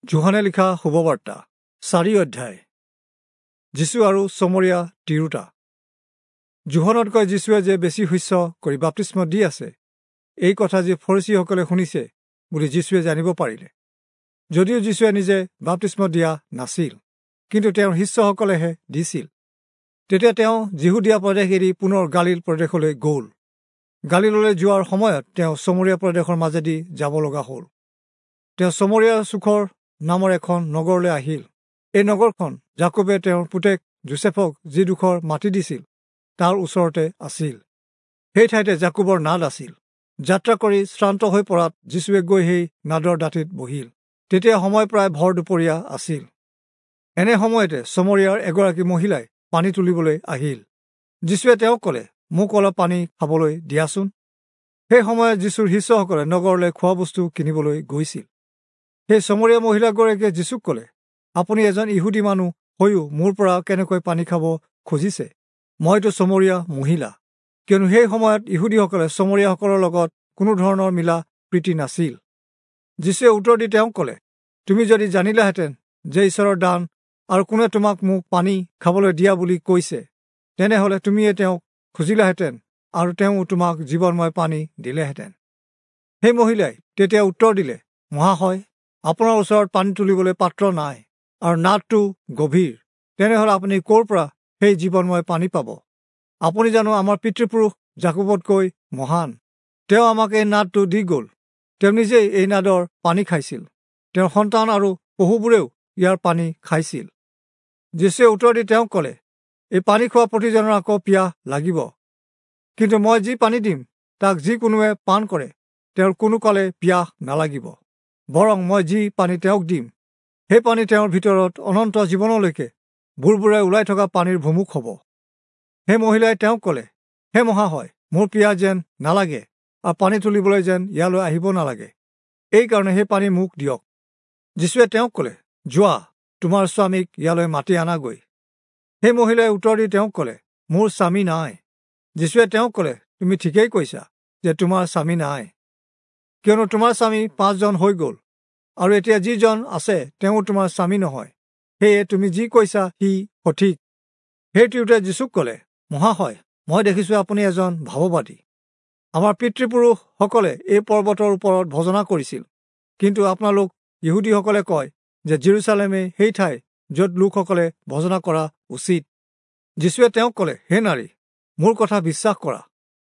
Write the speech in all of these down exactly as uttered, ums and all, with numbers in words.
যোহনে লিখা শুভবাৰ্তা চাৰি অধ্যায়। যীশু আৰু চমৰীয়া তিৰোতা। যোহনতকৈ যীশুৱে যে বেছি শস্য কৰি বাপ্তিস্ম দি আছে, এই কথা যি ফৰীচীসকলে শুনিছে বুলি যীশুৱে জানিব পাৰিলে। যদিও যীশুৱে নিজে বাপ্তিস্ম দিয়া নাছিল, কিন্তু তেওঁৰ শিষ্যসকলেহে দিছিল। তেতিয়া তেওঁ যিহুদীয়া প্ৰদেশ এৰি পুনৰ গালিল প্ৰদেশলৈ গ'ল। গালিললৈ যোৱাৰ সময়ত তেওঁ চমৰীয়া প্ৰদেশৰ মাজেদি যাব লগা হ'ল। তেওঁ চমৰীয়া চুখৰ নামৰ এখন নগৰলৈ আহিল। এই নগৰখন যাকোবে তেওঁৰ পুতেক যোচেফক যিডোখৰ মাটি দিছিল তাৰ ওচৰতে আছিল। সেই ঠাইতে যাকোবৰ নাদ আছিল। যাত্ৰা কৰি শ্ৰান্ত হৈ পৰাত যীশুৱে গৈ সেই নাদৰ দাঁতিত বহিল। তেতিয়া সময় প্ৰায় ভৰ দুপৰীয়া আছিল। এনে সময়তে চমৰীয়াৰ এগৰাকী মহিলাই পানী তুলিবলৈ আহিল। যীশুৱে তেওঁক ক'লে, মোক অলপ পানী খাবলৈ দিয়াচোন। সেই সময়ত যীশুৰ শিষ্যসকলে নগৰলৈ খোৱা বস্তু কিনিবলৈ গৈছিল। সেই চমৰীয়া মহিলাগৰাকীয়ে যীশুক ক'লে, আপুনি এজন ইহুদী মানুহ হৈও মোৰ পৰা কেনেকৈ পানী খাব খুজিছে? মইতো চমৰীয়া মহিলা। কিয়নো সেই সময়ত ইহুদীসকলে চমৰীয়াসকলৰ লগত কোনো ধৰণৰ মিলা প্ৰীতি নাছিল। যীশুৱে উত্তৰ দি তেওঁক ক'লে, তুমি যদি জানিলাহেঁতেন যে ঈশ্বৰৰ দান আৰু কোনে তোমাক মোক পানী খাবলৈ দিয়া বুলি কৈছে, তেনেহ'লে তুমিয়ে তেওঁক খুজিলাহেঁতেন আৰু তেওঁ তোমাক জীৱনময় পানী দিলেহেঁতেন। সেই মহিলাই তেতিয়া উত্তৰ দিলে, মহাশয়, আপোনাৰ ওচৰত পানী তুলিবলৈ পাত্ৰ নাই আৰু নাদটো গভীৰ, তেনেহ'লে আপুনি ক'ৰ পৰা সেই জীৱনময় পানী পাব? আপুনি জানো আমাৰ পিতৃপুৰুষ যাকোবতকৈ মহান? তেওঁ আমাক এই নাদটো দি গ'ল। তেওঁ নিজেই এই নাদৰ পানী খাইছিল, তেওঁৰ সন্তান আৰু পশুবোৰেও ইয়াৰ পানী খাইছিল। যীশুৱে উত্তৰ দি তেওঁক ক'লে, এই পানী খোৱা প্ৰতিজনৰ আকৌ পিয়াহ লাগিব, কিন্তু মই যি পানী দিম তাক যি কোনোৱে পান কৰে তেওঁৰ কোনো কালে পিয়াহ নালাগিব। বৰং মই যি পানী তেওঁক দিম সেই পানী তেওঁৰ ভিতৰত অনন্ত জীৱনলৈকে বুৰবুৰাই ওলাই থকা পানীৰ ভুমুক হ'ব। সেই মহিলাই তেওঁক ক'লে, হে মহাশয়, মোৰ পিয়াহ যেন নালাগে আৰু পানী তুলিবলৈ যেন ইয়ালৈ আহিব নালাগে, এইকাৰণে সেই পানী মোক দিয়ক। যীশুৱে তেওঁক ক'লে, যোৱা, তোমাৰ স্বামীক ইয়ালৈ মাতি আনাগৈ। সেই মহিলাই উত্তৰ দি তেওঁক ক'লে, মোৰ স্বামী নাই। যীশুৱে তেওঁক ক'লে, তুমি ঠিকেই কৈছা যে তোমাৰ স্বামী নাই, কিয়নো তোমাৰ স্বামী পাঁচজন হৈ গ'ল আৰু এতিয়া যিজন আছে তেওঁ তোমাৰ স্বামী নহয়। সেয়ে তুমি যি কৈছা সি সঠিক। সেই তিৰোতাই যীশুক ক'লে, মহাশয়, মই দেখিছোঁ আপুনি এজন ভাৱবাদী। আমাৰ পিতৃপুৰুষসকলে এই পৰ্বতৰ ওপৰত ভজনা কৰিছিল, কিন্তু আপোনালোক ইহুদীসকলে কয় যে জেৰুচালেমেই সেই ঠাই য'ত লোকসকলে ভজনা কৰা উচিত। যীশুৱে তেওঁক ক'লে, হে নাৰী, মোৰ কথা বিশ্বাস কৰা,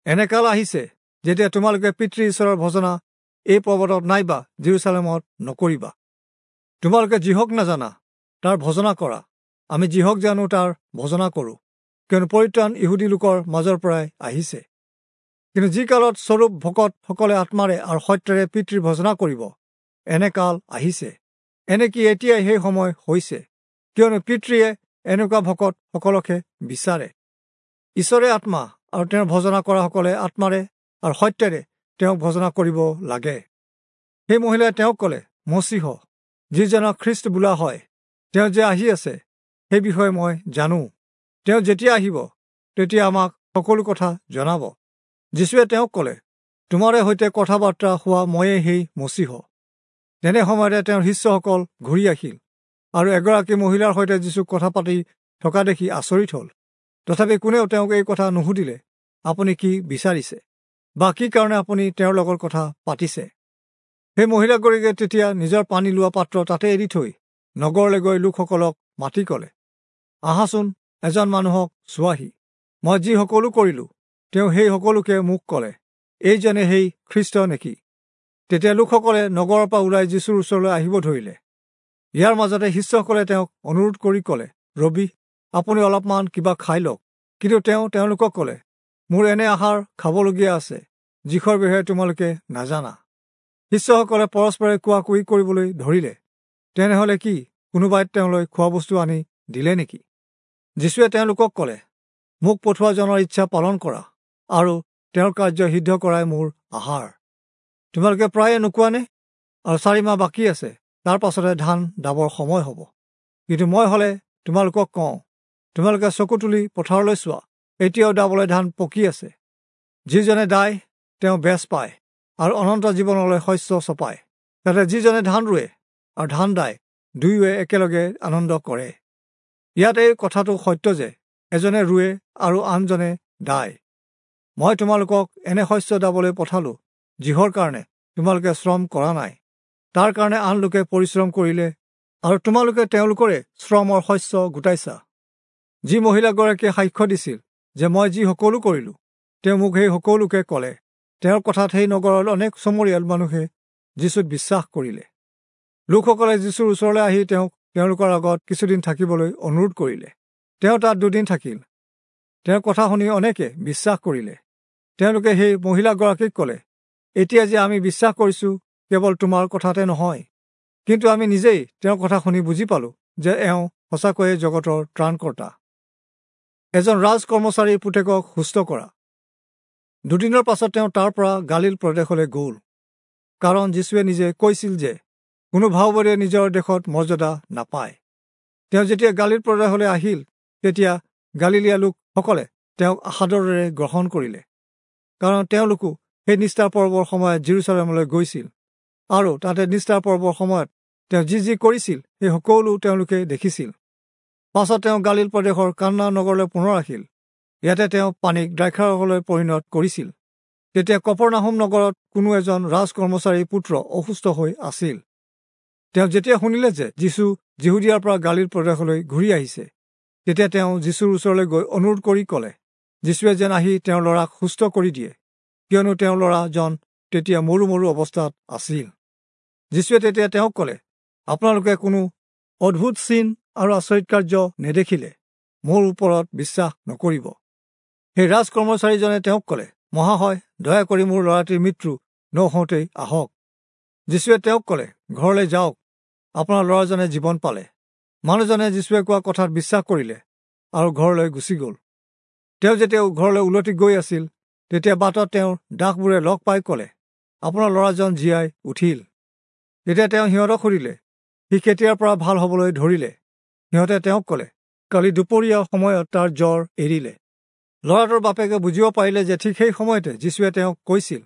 এনে কাল আহিছে যেতিয়া তোমালোকে পিতৃ ঈশ্বৰৰ ভজনা এই পৰ্বতত নাইবা জেৰুচালেমত নকৰিবা। তোমালোকে যিহক নাজানা তাৰ ভজনা কৰা, আমি যিহক জানো তাৰ ভজনা কৰোঁ, কিয়নো পৰিত্ৰাণ ইহুদী লোকৰ মাজৰ পৰাই আহিছে। কিন্তু যি কালত স্বৰূপ ভকতসকলে আত্মাৰে আৰু সত্যৰে পিতৃৰ ভজনা কৰিব, এনে কাল আহিছে, এনেকি এতিয়াই সেই সময় হৈছে, কিয়নো পিতৃয়ে এনেকুৱা ভকতসকলকহে বিচাৰে। ঈশ্বৰে আত্মা আৰু তেওঁৰ ভজনা কৰাসকলে আত্মাৰে আৰু সত্যেৰে তেওঁক ভজনা কৰিব লাগে। সেই মহিলাই তেওঁক ক'লে, মচীহ, যিজনক খ্ৰীষ্ট বোলা হয়, তেওঁ যে আহি আছে সেই বিষয়ে মই জানো। তেওঁ যেতিয়া আহিব তেতিয়া আমাক সকলো কথা জনাব। যীশুৱে তেওঁক ক'লে, তোমাৰে সৈতে কথা বাৰ্তা হোৱা ময়েই সেই মচীহ। তেনে সময়তে তেওঁৰ শিষ্যসকল ঘূৰি আহিল আৰু এগৰাকী মহিলাৰ সৈতে যীশুক কথা পাতি থকা দেখি আচৰিত হ'ল। তথাপি কোনেও তেওঁক এই কথা নুসুধিলে, আপুনি কি বিচাৰিছে বা কি কাৰণে আপুনি তেওঁৰ লগত কথা পাতিছে। সেই মহিলাগৰাকীয়ে তেতিয়া নিজৰ পানী লোৱা পাত্ৰ তাতে এৰি থৈ নগৰলৈ গৈ লোকসকলক মাতি ক'লে, আহাচোন, এজন মানুহক চোৱাহি, মই যি সকলো কৰিলোঁ তেওঁ সেই সকলোকে মোক ক'লে, এইজনে সেই খ্ৰীষ্ট নেকি? তেতিয়া লোকসকলে নগৰৰ পৰা ওলাই যীশুৰ ওচৰলৈ আহিব ধৰিলে। ইয়াৰ মাজতে শিষ্যসকলে তেওঁক অনুৰোধ কৰি ক'লে, ৰবি, আপুনি অলপমান কিবা খাই লওক। কিন্তু তেওঁ তেওঁলোকক ক'লে, মোৰ এনে আহাৰ খাবলগীয়া আছে যিখৰ বিষয়ে তোমালোকে নাজানা। শিষ্যসকলে পৰস্পৰে কোৱা কুই কৰিবলৈ ধৰিলে, তেনেহ'লে কি কোনোবাই তেওঁলৈ খোৱা বস্তু আনি দিলে নেকি? যীশুৱে তেওঁলোকক ক'লে, মোক পঠোৱাজনৰ ইচ্ছা পালন কৰা আৰু তেওঁৰ কাৰ্য সিদ্ধ কৰাই মোৰ আহাৰ। তোমালোকে প্ৰায়ে নোকোৱানে, আৰু চাৰি মাহ বাকী আছে, তাৰ পাছতে ধান দাবৰ সময় হ'ব। কিন্তু মই হ'লে তোমালোকক কওঁ, তোমালোকে চকু তুলি পথাৰলৈ চোৱা, এতিয়াও দাবলৈ ধান পকি আছে। যিজনে দায় তেওঁ বেচ পায় আৰু অনন্ত জীৱনলৈ শস্য চপায়। তাতে যিজনে ধান ৰুৱে আৰু ধান দায় দুয়োৱে একেলগে আনন্দ কৰে। ইয়াত এই কথাটো সত্য যে এজনে ৰুৱে আৰু আনজনে দায়। মই তোমালোকক এনে শস্য দাবলৈ পঠালো যিহৰ কাৰণে তোমালোকে শ্ৰম কৰা নাই, তাৰ কাৰণে আন লোকে পৰিশ্ৰম কৰিলে আৰু তোমালোকে তেওঁলোকৰে শ্ৰমৰ শস্য গোটাইছা। যি মহিলাগৰাকীয়ে সাক্ষ্য দিছিল যে মই যি সকলো কৰিলোঁ, তেওঁ মোক সেই সকলোকে ক'লে। তেওঁৰ কথাত সেই নগৰৰ অনেক চমৰীয়াল মানুহে যীচুত বিশ্বাস কৰিলে। লোকসকলে যীচুৰ ওচৰলৈ আহি তেওঁক তেওঁলোকৰ আগত কিছুদিন থাকিবলৈ অনুৰোধ কৰিলে। তেওঁ তাত দুদিন থাকিল। তেওঁৰ কথা শুনি অনেকে বিশ্বাস কৰিলে। তেওঁলোকে সেই মহিলাগৰাকীক ক'লে, এতিয়া যে আমি বিশ্বাস কৰিছোঁ কেৱল তোমাৰ কথাতে নহয়, কিন্তু আমি নিজেই তেওঁৰ কথা শুনি বুজি পালোঁ যে এওঁ সঁচাকৈয়ে জগতৰ ত্ৰাণকৰ্তা। এজন ৰাজ কৰ্মচাৰীৰ পুতেকক সুস্থ কৰা। দুদিনৰ পাছত তেওঁ তাৰ পৰা গালিল প্ৰদেশলৈ গ'ল, কাৰণ যীচুৱে নিজে কৈছিল যে কোনো ভাওবাদীয়ে নিজৰ দেশত মৰ্যাদা নাপায়। তেওঁ যেতিয়া গালিল প্ৰদেশলৈ আহিল, তেতিয়া গালিলীয়া লোকসকলে তেওঁক সাদৰেৰে গ্ৰহণ কৰিলে, কাৰণ তেওঁলোকো সেই নিষ্ঠাৰ পৰ্বৰ সময়ত জিৰচালেমলৈ গৈছিল আৰু তাতে নিষ্ঠাৰ পৰ্বৰ সময়ত তেওঁ যি যি কৰিছিল সেই সকলো তেওঁলোকে দেখিছিল। পাছত তেওঁ গালিল প্ৰদেশৰ কান্না নগৰলৈ পুনৰ আহিল। ইয়াতে তেওঁ পানীক দ্ৰাক্ষাৰসলৈ পৰিণত কৰিছিল। তেতিয়া কপৰনাহুম নগৰত কোনো এজন ৰাজ কৰ্মচাৰীৰ পুত্ৰ অসুস্থ হৈ আছিল। তেওঁ যেতিয়া শুনিলে যে যীচু যিহুদিয়াৰ পৰা গালিল প্ৰদেশলৈ ঘূৰি আহিছে, তেতিয়া তেওঁ যীচুৰ ওচৰলৈ গৈ অনুৰোধ কৰি ক'লে, যীচুৱে যেন আহি তেওঁৰ ল'ৰাক সুস্থ কৰি দিয়ে, কিয়নো তেওঁৰ ল'ৰাজন তেতিয়া মৰো মৰো অৱস্থাত আছিল। যীচুৱে তেতিয়া তেওঁক ক'লে, আপোনালোকে কোনো অদ্ভুত চিন আৰু আচৰিত কাৰ্য নেদেখিলে মোৰ ওপৰত বিশ্বাস নকৰিব। সেই ৰাজ কৰ্মচাৰীজনে তেওঁক ক'লে, মহাশয়, দয়া কৰি মোৰ ল'ৰাটিৰ মৃত্যু নৌহওঁতেই আহক। যীচুৱে তেওঁক ক'লে, ঘৰলৈ যাওক, আপোনাৰ ল'ৰাজনে জীৱন পালে। মানুহজনে যীচুৱে কোৱা কথাত বিশ্বাস কৰিলে আৰু ঘৰলৈ গুচি গ'ল। তেওঁ যেতিয়া ঘৰলৈ উলটি গৈ আছিল, তেতিয়া বাটত তেওঁৰ দাসবোৰে লগ পাই ক'লে, আপোনাৰ ল'ৰাজন জীয়াই উঠিল। তেতিয়া তেওঁ সিহঁতক সুধিলে, সি কেতিয়াৰ পৰা ভাল হ'বলৈ ধৰিলে? সিহঁতে তেওঁক ক'লে, কালি দুপৰীয়া সময়ত তাৰ জ্বৰ এৰিলে। ল'ৰাটোৰ বাপেকে বুজিব পাৰিলে যে ঠিক সেই সময়তে যীচুৱে তেওঁক কৈছিল,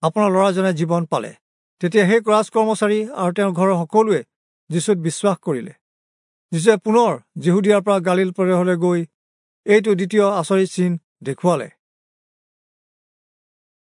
আপোনাৰ ল'ৰাজনে জীৱন পালে। তেতিয়া সেই ৰাজ কৰ্মচাৰী আৰু তেওঁৰ ঘৰৰ সকলোৱে যীচুত বিশ্বাস কৰিলে। যীচুৱে পুনৰ যিহুদিয়াৰ পৰা গালিল প্ৰদেশলৈ গৈ এইটো দ্বিতীয় আচৰিত চিন দেখুৱালে।